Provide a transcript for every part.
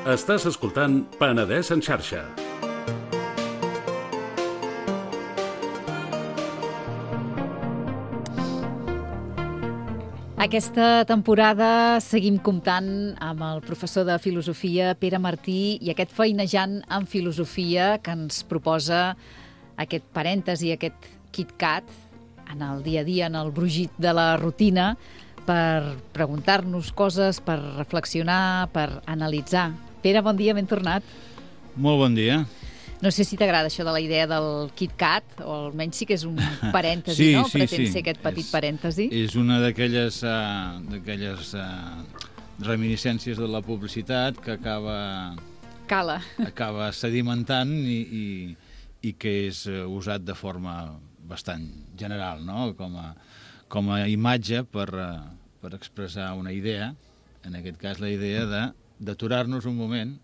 Estàs escoltant Penedès en xarxa. Aquesta temporada seguim comptant amb el professor de filosofia Pere Martí i aquest feinejant en filosofia que ens proposa aquest parèntesi, aquest KitKat en el dia a dia, en el brugit de la rutina, per preguntar-nos coses, per reflexionar, per analitzar. Pere, bon dia, ben tornat. Molt bon dia. No sé si t'agrada això de la idea del KitKat, o almenys sí que és un parèntesi, no? Pretén ser aquest petit parèntesi. És una d'aquelles reminiscències de la publicitat que acaba sedimentant i que és usat de forma bastant general, no? Com a imatge per expressar una idea, en aquest cas la idea d'aturar-nos un moment,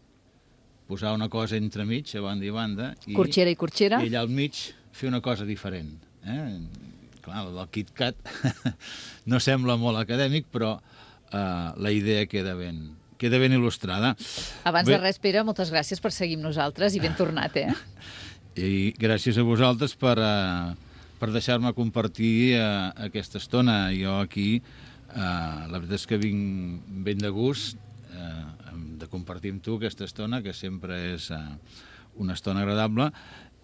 posar una cosa entremig, a banda i banda, Corxera i corxera. I allà al mig fer una cosa diferent. Clar, el KitKat no sembla molt acadèmic, però la idea queda ben il·lustrada. Abans de res, Pere, moltes gràcies per seguir amb nosaltres i ben tornat, I gràcies a vosaltres per deixar-me compartir aquesta estona. Jo aquí, la veritat és que vinc ben de gust de compartir amb tu aquesta estona, que sempre és una estona agradable,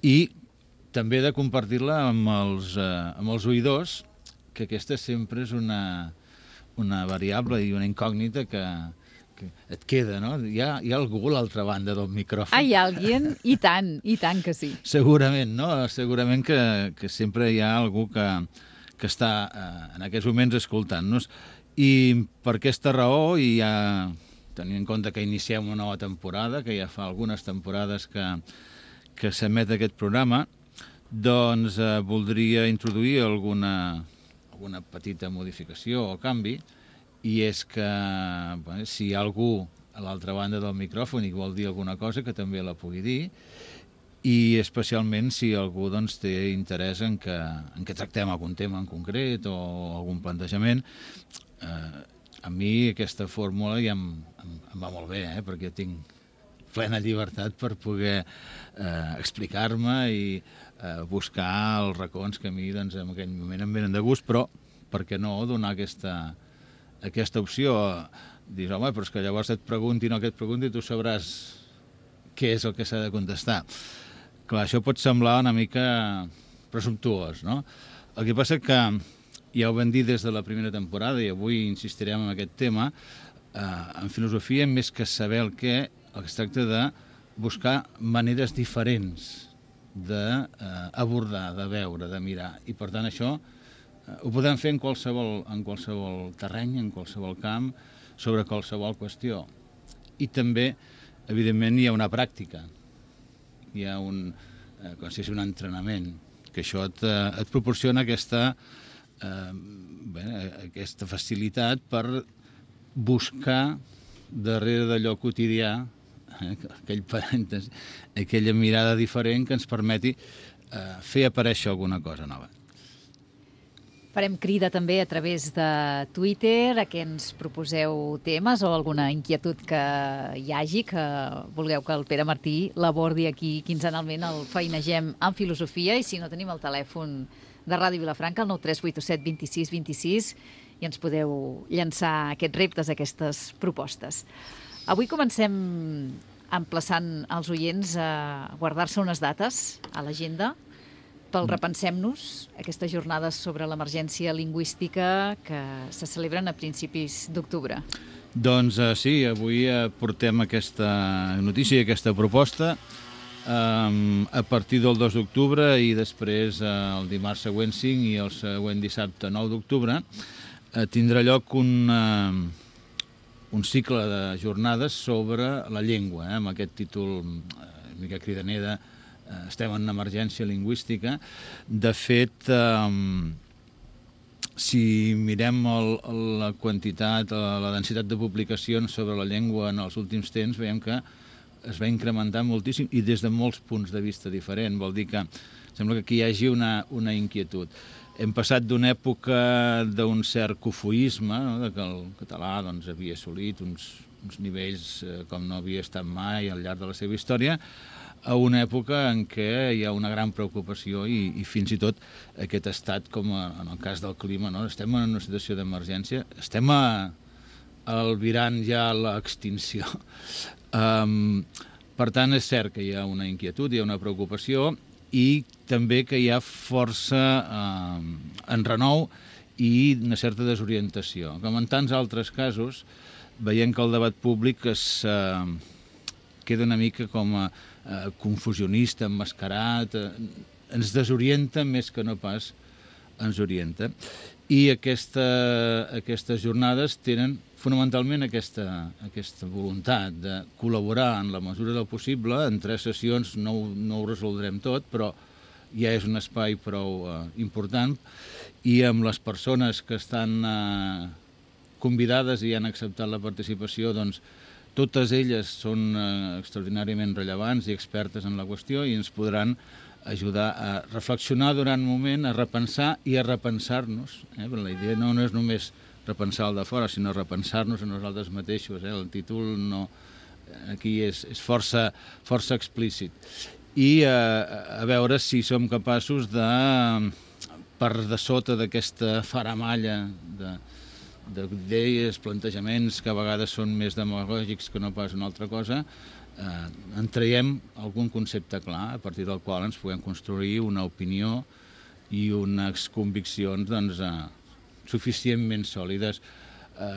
i també de compartir-la amb els oïdors, que aquesta sempre és una variable i una incògnita que et queda, no? Hi ha algú a l'altra banda del micròfon. Hi ha alguien? I tant que sí. Segurament, no? Segurament que sempre hi ha algú que està en aquests moments escoltant-nos. I per aquesta raó, i ja tenint en compte que iniciem una nova temporada, que ja fa algunes temporades que s'emet aquest programa, doncs voldria introduir alguna petita modificació o canvi, i és que si hi ha algú a l'altra banda del micròfon i vol dir alguna cosa, que també la pugui dir, i especialment si algú té interès en que tractem algun tema en concret o algun plantejament. A mi aquesta fórmula ja em va molt bé, perquè tinc plena llibertat per poder explicar-me i buscar els racons que a mi en aquell moment em venen de gust, però per què no donar aquesta opció? Dius, home, però és que llavors et preguntin o que et preguntin, tu sabràs què és el que s'ha de contestar. Clar, això pot semblar una mica presumptuós, no? El que passa que ja ho vam dir des de la primera temporada, i avui insistirem en aquest tema, en filosofia, més que saber el que es tracta de buscar maneres diferents d'abordar, de veure, de mirar. I per tant això ho podem fer en qualsevol terreny, en qualsevol camp, sobre qualsevol qüestió. I també, evidentment, hi ha una pràctica. Hi ha un entrenament, que això et proporciona aquesta facilitat per buscar darrere d'allò quotidià, aquell parèntesi, aquella mirada diferent que ens permeti fer aparèixer alguna cosa nova. Farem crida també a través de Twitter a que ens proposeu temes o alguna inquietud que hi hagi, que vulgueu que el Pere Martí l'abordi aquí quinzenalment, el feinegem en filosofia, i si no tenim el telèfon de Ràdio Vilafranca, el 93887 26 26, i ens podeu llançar aquests reptes, aquestes propostes. Avui comencem emplaçant els oients a guardar-se unes dates a l'agenda pel Repensem-nos, aquestes jornades sobre l'emergència lingüística que se celebren a principis d'octubre. Doncs sí, avui portem aquesta notícia i aquesta proposta a partir del 2 d'octubre i després el dimarts següent 5 i el següent dissabte 9 d'octubre tindrà lloc un cicle de jornades sobre la llengua, amb aquest títol una mica cridaner de estem en emergència lingüística. De fet, si mirem la quantitat, la densitat de publicacions sobre la llengua en els últims temps, veiem que es va incrementar moltíssim i des de molts punts de vista diferents. Vol dir que sembla que aquí hi hagi una inquietud. hem passat d'una època d'un cert cofoisme, no? De que el català doncs, havia assolit uns nivells com no havia estat mai al llarg de la seva història, a una època en què hi ha una gran preocupació i fins i tot aquest estat, com en el cas del clima, no? Estem en una situació d'emergència, estem albirant ja l'extinció. Per tant, és cert que hi ha una inquietud, hi ha una preocupació i també que hi ha força enrenou i una certa desorientació. Com en tants altres casos, veiem que el debat públic queda una mica com confusionista, emmascarat, ens desorienta més que no pas ens orienta. I aquestes jornades tenen fonamentalment aquesta voluntat de col·laborar en la mesura del possible. En 3 sessions no ho resoldrem tot, però ja és un espai prou important, i amb les persones que estan convidades i han acceptat la participació, doncs totes elles són extraordinàriament rellevants i expertes en la qüestió i ens podran ajudar a reflexionar durant un moment, a repensar i a repensar-nos. Però la idea no és només repensar el de fora, sinó repensar-nos a nosaltres mateixos. El títol aquí és força explícit. I a veure si som capaços de, per de sota d'aquesta faramalla d'idees, plantejaments que a vegades són més demagògics que no pas una altra cosa, en traiem algun concepte clar a partir del qual ens puguem construir una opinió i unes conviccions suficientment sòlides.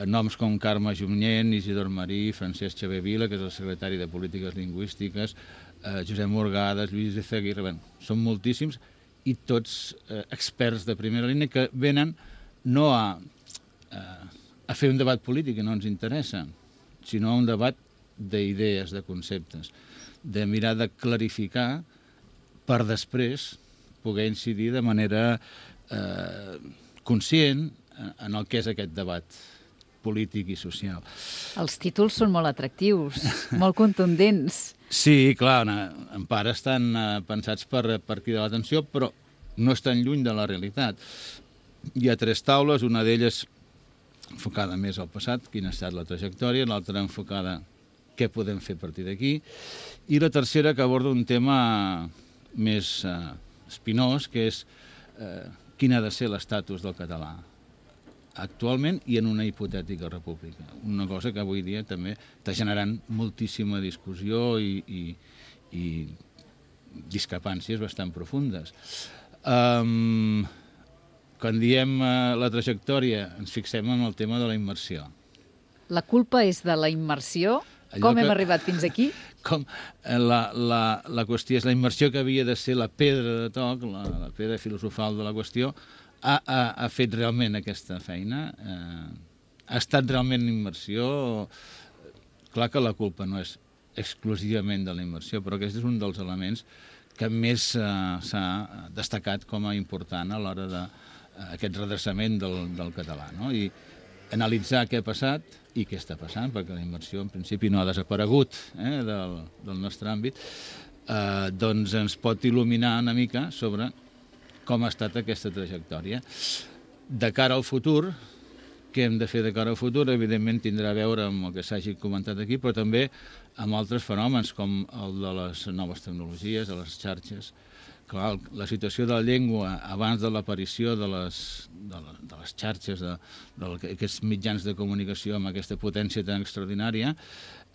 Noms com Carme Junyent, Isidor Marí, Francesc Xavier Vila, que és el secretari de Polítiques Lingüístiques, Josep Morgades, Lluís Izaguirre, són moltíssims i tots experts de primera línia que venen no a fer un debat polític que no ens interessa, sinó un debat d'idees, de conceptes, de mirar de clarificar per després poder incidir de manera conscient en el que és aquest debat polític i social. Els títols són molt atractius, molt contundents. Sí, clar, en part estan pensats per cridar l'atenció, però no estan lluny de la realitat. Hi ha 3 taules, una d'elles enfocada més al passat, quina ha estat la trajectòria, l'altra enfocada què podem fer a partir d'aquí, i la tercera que aborda un tema més espinós, que és quin ha de ser l'estatus del català actualment i en una hipotètica república. Una cosa que avui dia també està generant moltíssima discussió i discrepàncies bastant profundes. Quan diem la trajectòria, ens fixem en el tema de la immersió. La culpa és de la immersió? Com hem arribat fins aquí? La qüestió és la immersió que havia de ser la pedra de toc, la pedra filosofal de la qüestió, ha fet realment aquesta feina? Ha estat realment immersió? Clar que la culpa no és exclusivament de la immersió, però aquest és un dels elements que més s'ha destacat com a important a l'hora d'aquest redreçament del català, no? I analitzar què ha passat i què està passant, perquè la immersió en principi no ha desaparegut del nostre àmbit, doncs ens pot il·luminar una mica sobre com ha estat aquesta trajectòria. De cara al futur, què hem de fer de cara al futur? Evidentment tindrà a veure amb el que s'hagi comentat aquí, però també amb altres fenòmens com el de les noves tecnologies, de les xarxes. Clar, la situació de la llengua abans de l'aparició de les xarxes, d'aquests mitjans de comunicació amb aquesta potència tan extraordinària,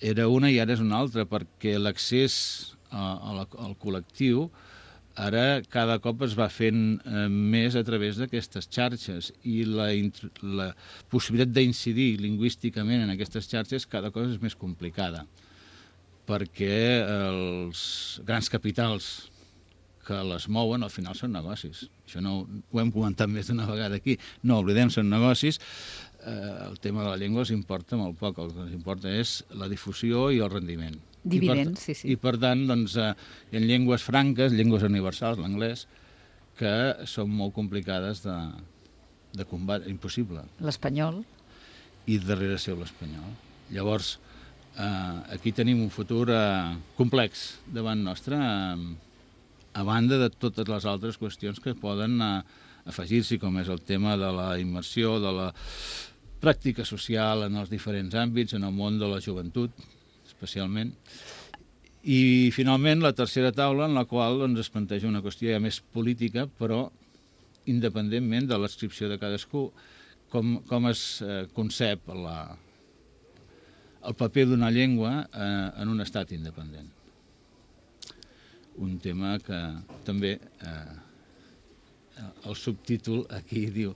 era una i ara és una altra, perquè l'accés al col·lectiu ara cada cop es va fent més a través d'aquestes xarxes i la possibilitat d'incidir lingüísticament en aquestes xarxes cada cosa és més complicada, perquè els grans capitals que les mouen al final són negocis. Això no ho hem comentat més d'una vegada aquí. No oblidem, són negocis. El tema de la llengua els importa molt poc. El que els importa és la difusió i el rendiment. Dividends, sí. I per tant, doncs, hi ha llengües franques, llengües universals, l'anglès, que són molt complicades de combatre, impossible. L'espanyol. I darrere seu l'espanyol. Llavors, aquí tenim un futur complex davant nostre, a banda de totes les altres qüestions que poden afegir-s'hi, com és el tema de la immersió, de la pràctica social en els diferents àmbits, en el món de la joventut, especialment. I, finalment, la tercera taula, en la qual doncs, es planteja una qüestió ja més política, però independentment de l'adscripció de cadascú, com es concep el paper d'una llengua en un estat independent. Un tema que també el subtítol aquí diu,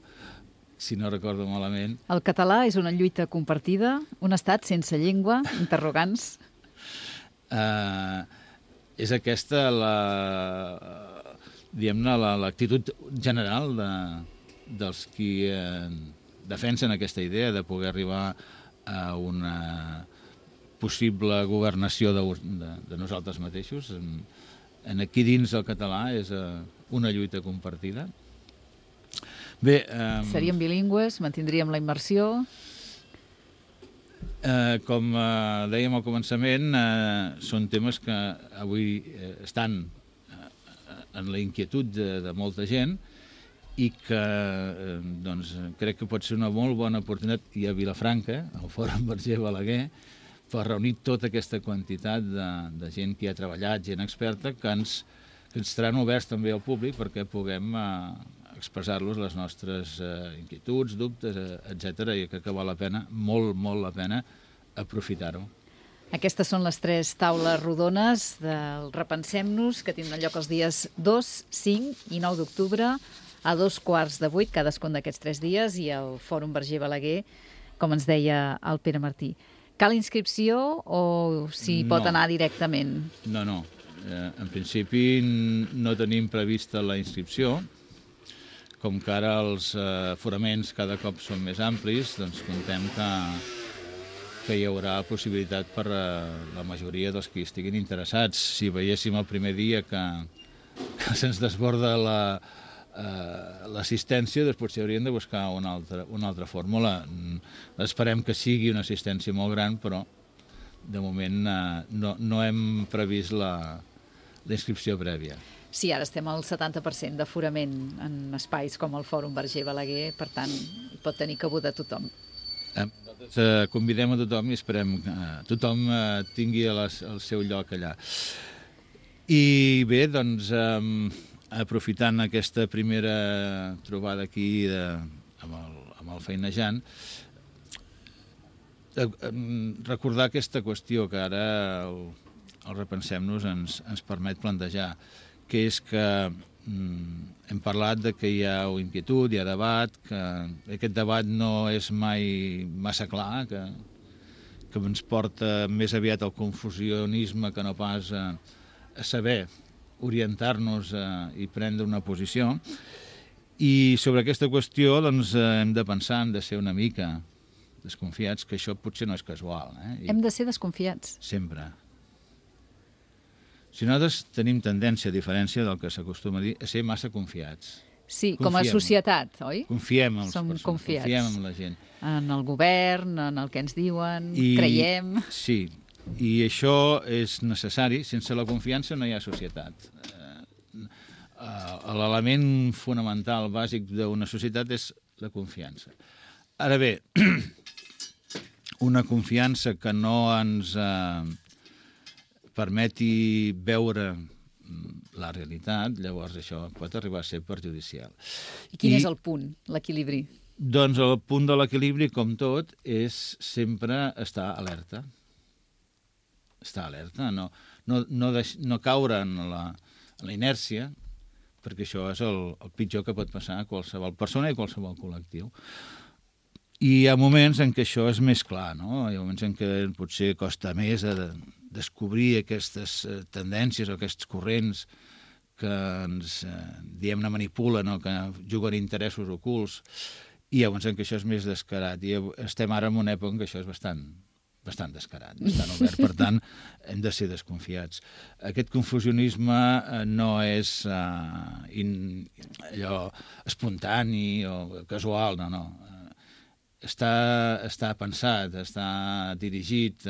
si no recordo malament... El català és una lluita compartida, un estat sense llengua, interrogants... És aquesta l'actitud general dels qui defensen aquesta idea de poder arribar a una possible governació de nosaltres mateixos. Aquí dins el català és una lluita compartida. Bé, seríem bilingües, mantindríem la immersió... Com dèiem al començament, són temes que avui estan en la inquietud de molta gent i que doncs, crec que pot ser una molt bona oportunitat, i a Vilafranca, al Fòrum Verger Balaguer, per reunir tota aquesta quantitat de gent que hi ha treballat, gent experta, que ens estaran oberts també al públic perquè puguem expressar-los les nostres inquietuds, dubtes, etc. I crec que val la pena, molt, molt la pena, aprofitar-ho. Aquestes són les 3 taules rodones del Repensem-nos, que tindran lloc els dies 2, 5 i 9 d'octubre, a 7:15, cadascun d'aquests 3 dies, i al Fòrum Verger Balaguer, com ens deia el Pere Martí. Cal inscripció o s'hi pot anar directament? No. En principi no tenim prevista la inscripció. Com que ara els aforaments cada cop són més amplis, doncs contem que hi haurà possibilitat per la majoria dels que estiguin interessats. Si veiéssim el primer dia que se'ns desborda l'assistència, doncs potser hauríem de buscar una altra fórmula. Esperem que sigui una assistència molt gran, però de moment no hem previst la inscripció prèvia. Sí, ara estem al 70% d'aforament en espais com el Fòrum Verger Balaguer, per tant, hi pot tenir cabuda tothom. Nosaltres convidem a tothom i esperem que tothom tingui el seu lloc allà. I bé, doncs, aprofitant aquesta primera trobada aquí amb el Feinejant, recordar aquesta qüestió que ara el Repensem-nos ens permet plantejar, que és que hem parlat de que hi ha inquietud, hi ha debat, que aquest debat no és mai massa clar, que ens porta més aviat al confusionisme que no pas a saber orientar-nos i prendre una posició. I sobre aquesta qüestió doncs, hem de pensar, hem de ser una mica desconfiats, que això potser no és casual. Hem de ser desconfiats. Sempre. Si nosaltres tenim tendència, a diferència del que s'acostuma a dir, a ser massa confiats. Sí, com a societat, oi? Confiem en les persones, confiem en la gent. En el govern, en el que ens diuen, creiem... Sí, i això és necessari. Sense la confiança no hi ha societat. L'element fonamental, bàsic d'una societat és la confiança. Ara bé, una confiança que no ens permeti veure la realitat, llavors això pot arribar a ser perjudicial. I quin és el punt, l'equilibri? Doncs el punt de l'equilibri, com tot, és sempre estar alerta. Estar alerta, no caure en la inèrcia, perquè això és el pitjor que pot passar a qualsevol persona i a qualsevol col·lectiu. I hi ha moments en què això és més clar, no? Hi ha moments en què potser costa més descobrir aquestes tendències o aquests corrents que ens, diguem-ne, manipulen o que juguen interessos ocults. I hi ha moments en què això és més descarat. I estem ara en una època en què això és bastant descarat, bastant obert. Per tant, hem de ser desconfiats. Aquest confusionisme no és allò espontani o casual, no. Està pensat, està dirigit.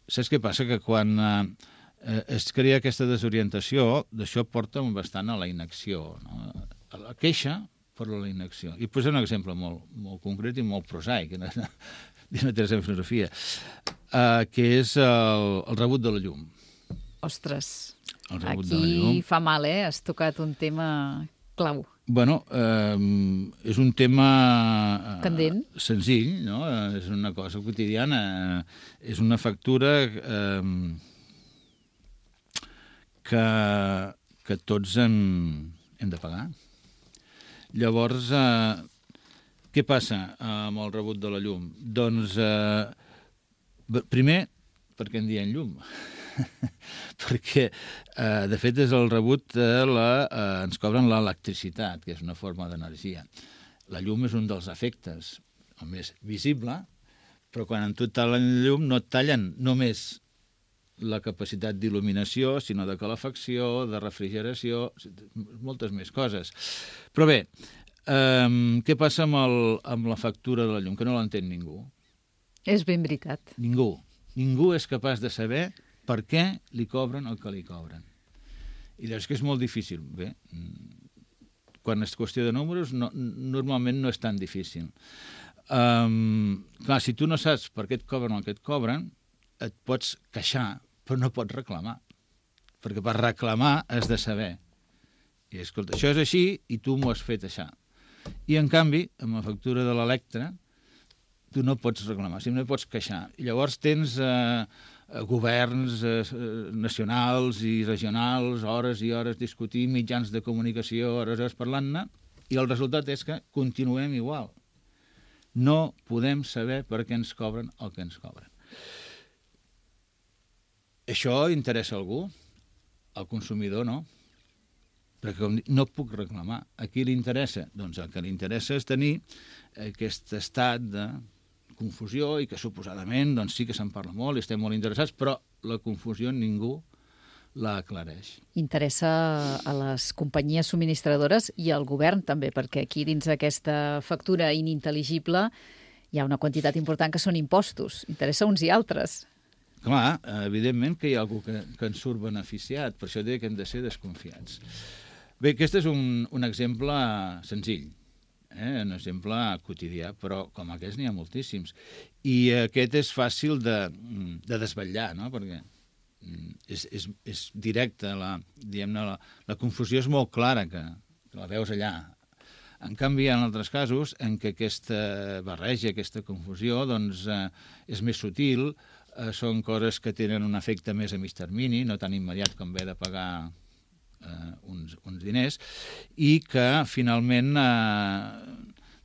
Saps què passa? Que quan es crea aquesta desorientació, d'això porta bastant a la inacció, no? la queixa per la inacció. I posem un exemple molt, molt concret i molt prosaic, no té la filosofia, que és el rebut de la llum. Ostres, El rebut de la llum. aquí fa mal, Has tocat un tema clau. Bueno, és un tema Candent. senzill, no? És una cosa quotidiana, és una factura que tots hem de pagar. Llavors, què passa amb el rebut de la llum? Doncs, primer, perquè en diem llum. Perquè, de fet, és el rebut ens cobren l'electricitat, que és una forma d'energia. La llum és un dels efectes, el més visible, però quan en tu tallen llum no et tallen només la capacitat d'il·luminació, sinó de calefacció, de refrigeració, moltes més coses. Però bé, què passa amb la factura de la llum? Que no l'entén ningú. És ben veritat. Ningú. Ningú és capaç de saber per què li cobren el que li cobren. I llavors que és molt difícil. Bé, quan és qüestió de números, normalment no és tan difícil. Clar, si tu no saps per què et cobren el que et cobren, et pots queixar, però no pots reclamar. Perquè per reclamar has de saber. I escolta, això és així i tu m'ho has fet això. I en canvi, amb la factura de l'Electra, tu no pots reclamar, simplement pots queixar. I llavors tens governs nacionals i regionals, hores i hores discutint, mitjans de comunicació, hores parlant-ne, i el resultat és que continuem igual. No podem saber per què ens cobren el que ens cobren. Això interessa a algú? Al consumidor no. Perquè no puc reclamar. A qui li interessa? Doncs el que li interessa és tenir aquest estat de confusió i que suposadament doncs sí que se'n parla molt i estem molt interessats, però la confusió ningú la aclareix. Interessa a les companyies subministradores i al govern també, perquè aquí dins d'aquesta factura inintel·ligible hi ha una quantitat important que són impostos. Interessa uns i altres. Clar, evidentment que hi ha algú que en surt beneficiat, per això dic que hem de ser desconfiats. Bé, aquest és un exemple senzill, un exemple quotidià, però com aquest n'hi ha moltíssims. I aquest és fàcil de desvetllar, no? Perquè és directe, la confusió és molt clara, que la veus allà. En canvi, hi ha altres casos en què aquesta barreja, aquesta confusió, doncs, és més sutil, són coses que tenen un efecte més a mig termini, no tan immediat com haver de pagar uns diners, i que finalment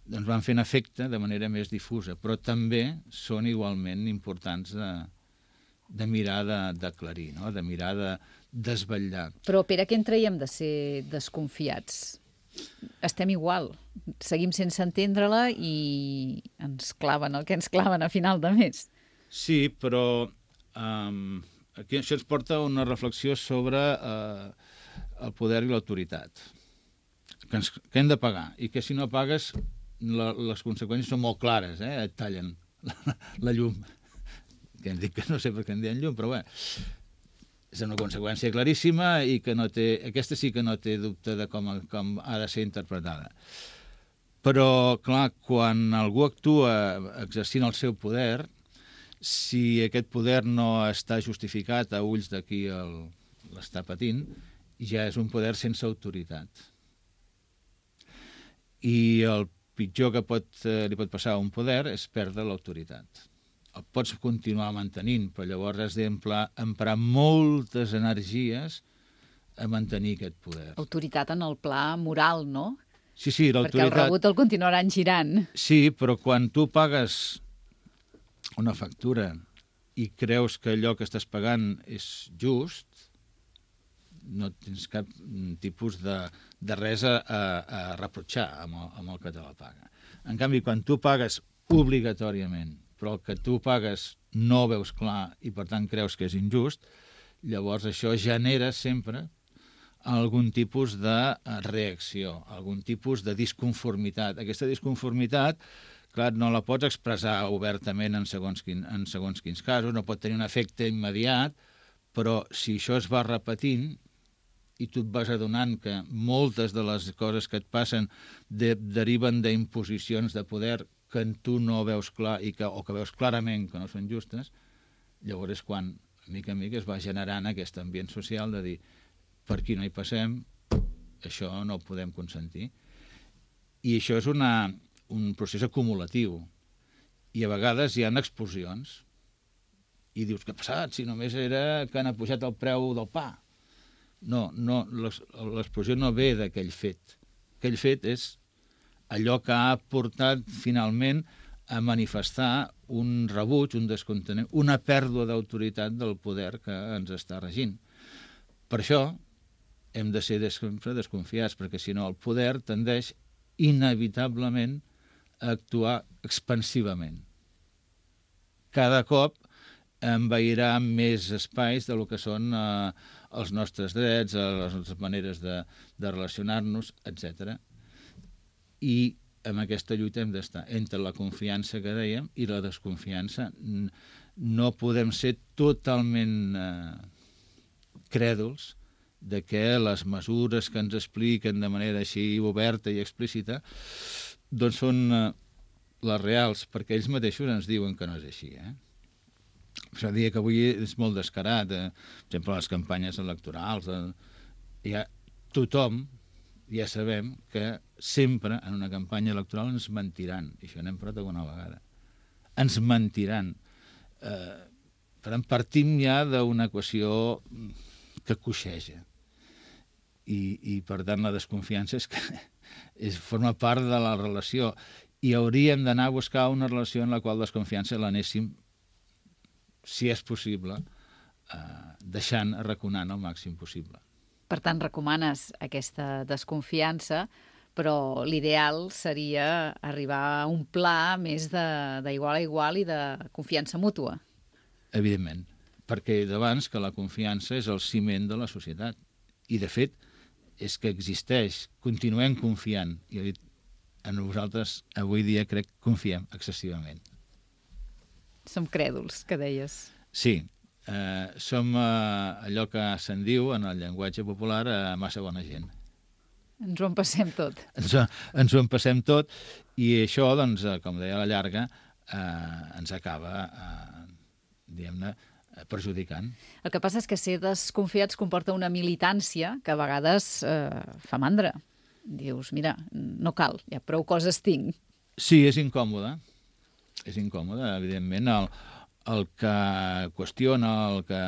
doncs van fent efecte de manera més difusa, però també són igualment importants de mirar d'aclarir, no? De mirar de desvetllar. Però, Pere, què en traiem de ser desconfiats? Estem igual, seguim sense entendre-la i ens claven el que ens claven a final de mes. Sí, però aquí això ens porta a una reflexió sobre el poder i l'autoritat, que hem de pagar, i que si no pagues les conseqüències són molt clares, et tallen la llum. Que em dic que no sé per què en diuen llum, però bé, és una conseqüència claríssima i que aquesta sí que no té dubte de com ha de ser interpretada. Però, clar, quan algú actua exercint el seu poder, si aquest poder no està justificat a ulls de qui l'està patint, ja és un poder sense autoritat. I el pitjor que li pot passar a un poder és perdre l'autoritat. El pots continuar mantenint, però llavors has d'emprar moltes energies a mantenir aquest poder. Autoritat en el pla moral, no? Sí, l'autoritat... Perquè el rebut el continuaran girant. Sí, però quan tu pagues una factura i creus que allò que estàs pagant és just, no tens cap tipus de res a reprotxar amb el que te la paga. En canvi, quan tu pagues obligatòriament, però el que tu pagues no veus clar i per tant creus que és injust, llavors això genera sempre algun tipus de reacció, algun tipus de disconformitat. Aquesta disconformitat, clar, no la pots expressar obertament en segons quins casos, no pot tenir un efecte immediat, però si això es va repetint, i tu et vas adonant que moltes de les coses que et passen deriven d'imposicions de poder que tu no veus clar o que veus clarament que no són justes, llavors és quan, mica en mica, es va generant aquest ambient social de dir per aquí no hi passem, això no ho podem consentir. I això és un procés acumulatiu. I a vegades hi ha explosions. I dius, què ha passat? Si només era que han pujat el preu del pa. No, l'explosió no ve d'aquell fet. Aquell fet és allò que ha portat finalment a manifestar un rebuig, un descontentament, una pèrdua d'autoritat del poder que ens està regint. Per això hem de ser sempre desconfiats, perquè si no el poder tendeix inevitablement a actuar expansivament. Cada cop envairà més espais del que són els nostres drets, les nostres maneres de relacionar-nos, etc. I en aquesta lluita hem d'estar entre la confiança que dèiem i la desconfiança. No podem ser totalment crèduls de que les mesures que ens expliquen de manera així oberta i explícita doncs són les reals, perquè ells mateixos ens diuen que no és així, Això dia que avui és molt descarat, per exemple, les campanyes electorals, tothom ja sabem que sempre en una campanya electoral ens mentiran, i això n'hem parlat alguna vegada. Ens mentiran. Per tant, partim ja d'una equació que coixeja. I per tant, la desconfiança forma part de la relació. I hauríem d'anar a buscar una relació en la qual desconfiança l'anéssim, si és possible, deixant, arraconant el màxim possible. Per tant, recomanes aquesta desconfiança, però l'ideal seria arribar a un pla més d'igual a igual i de confiança mútua. Evidentment, perquè d'abans que la confiança és el ciment de la societat. I, de fet, és que existeix. Continuem confiant. I a nosaltres, avui dia, crec que confiem excessivament. Som crèduls, que deies. Sí, som allò que se'n diu en el llenguatge popular massa bona gent. Ens ho empassem tot. Ens ho empassem tot i això, doncs, com deia a la llarga, ens acaba, diguem-ne, perjudicant. El que passa és que ser desconfiats comporta una militància que a vegades fa mandra. Dius, mira, no cal, ja prou coses tinc. Sí, és incòmode. És incòmode, evidentment. El que qüestiona, el que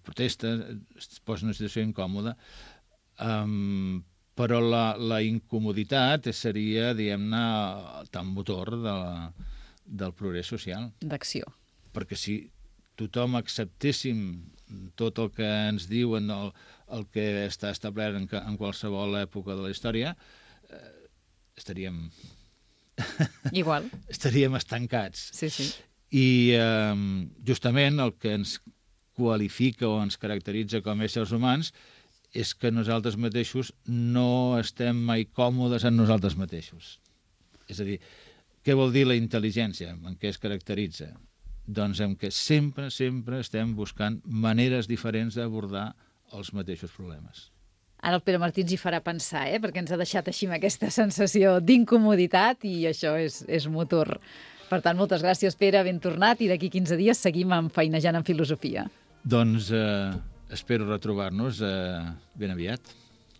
protesta, es posa en una situació incòmoda, però la incomoditat seria, diguem-ne, el motor del progrés social. D'acció. Perquè si tothom acceptéssim tot el que ens diuen, el que està establert en qualsevol època de la història, estaríem estancats. Sí, sí. I justament el que ens qualifica o ens caracteritza com a éssers humans és que nosaltres mateixos no estem mai còmodes en nosaltres mateixos. És a dir, què vol dir la intel·ligència? En què es caracteritza? Doncs en què sempre estem buscant maneres diferents d'abordar els mateixos problemes. Ara el Pere Martí ens hi farà pensar, perquè ens ha deixat així amb aquesta sensació d'incomoditat i això és motor. Per tant, moltes gràcies, Pere, ben tornat, i d'aquí 15 dies seguim feinejant en filosofia. Doncs espero retrobar-nos ben aviat.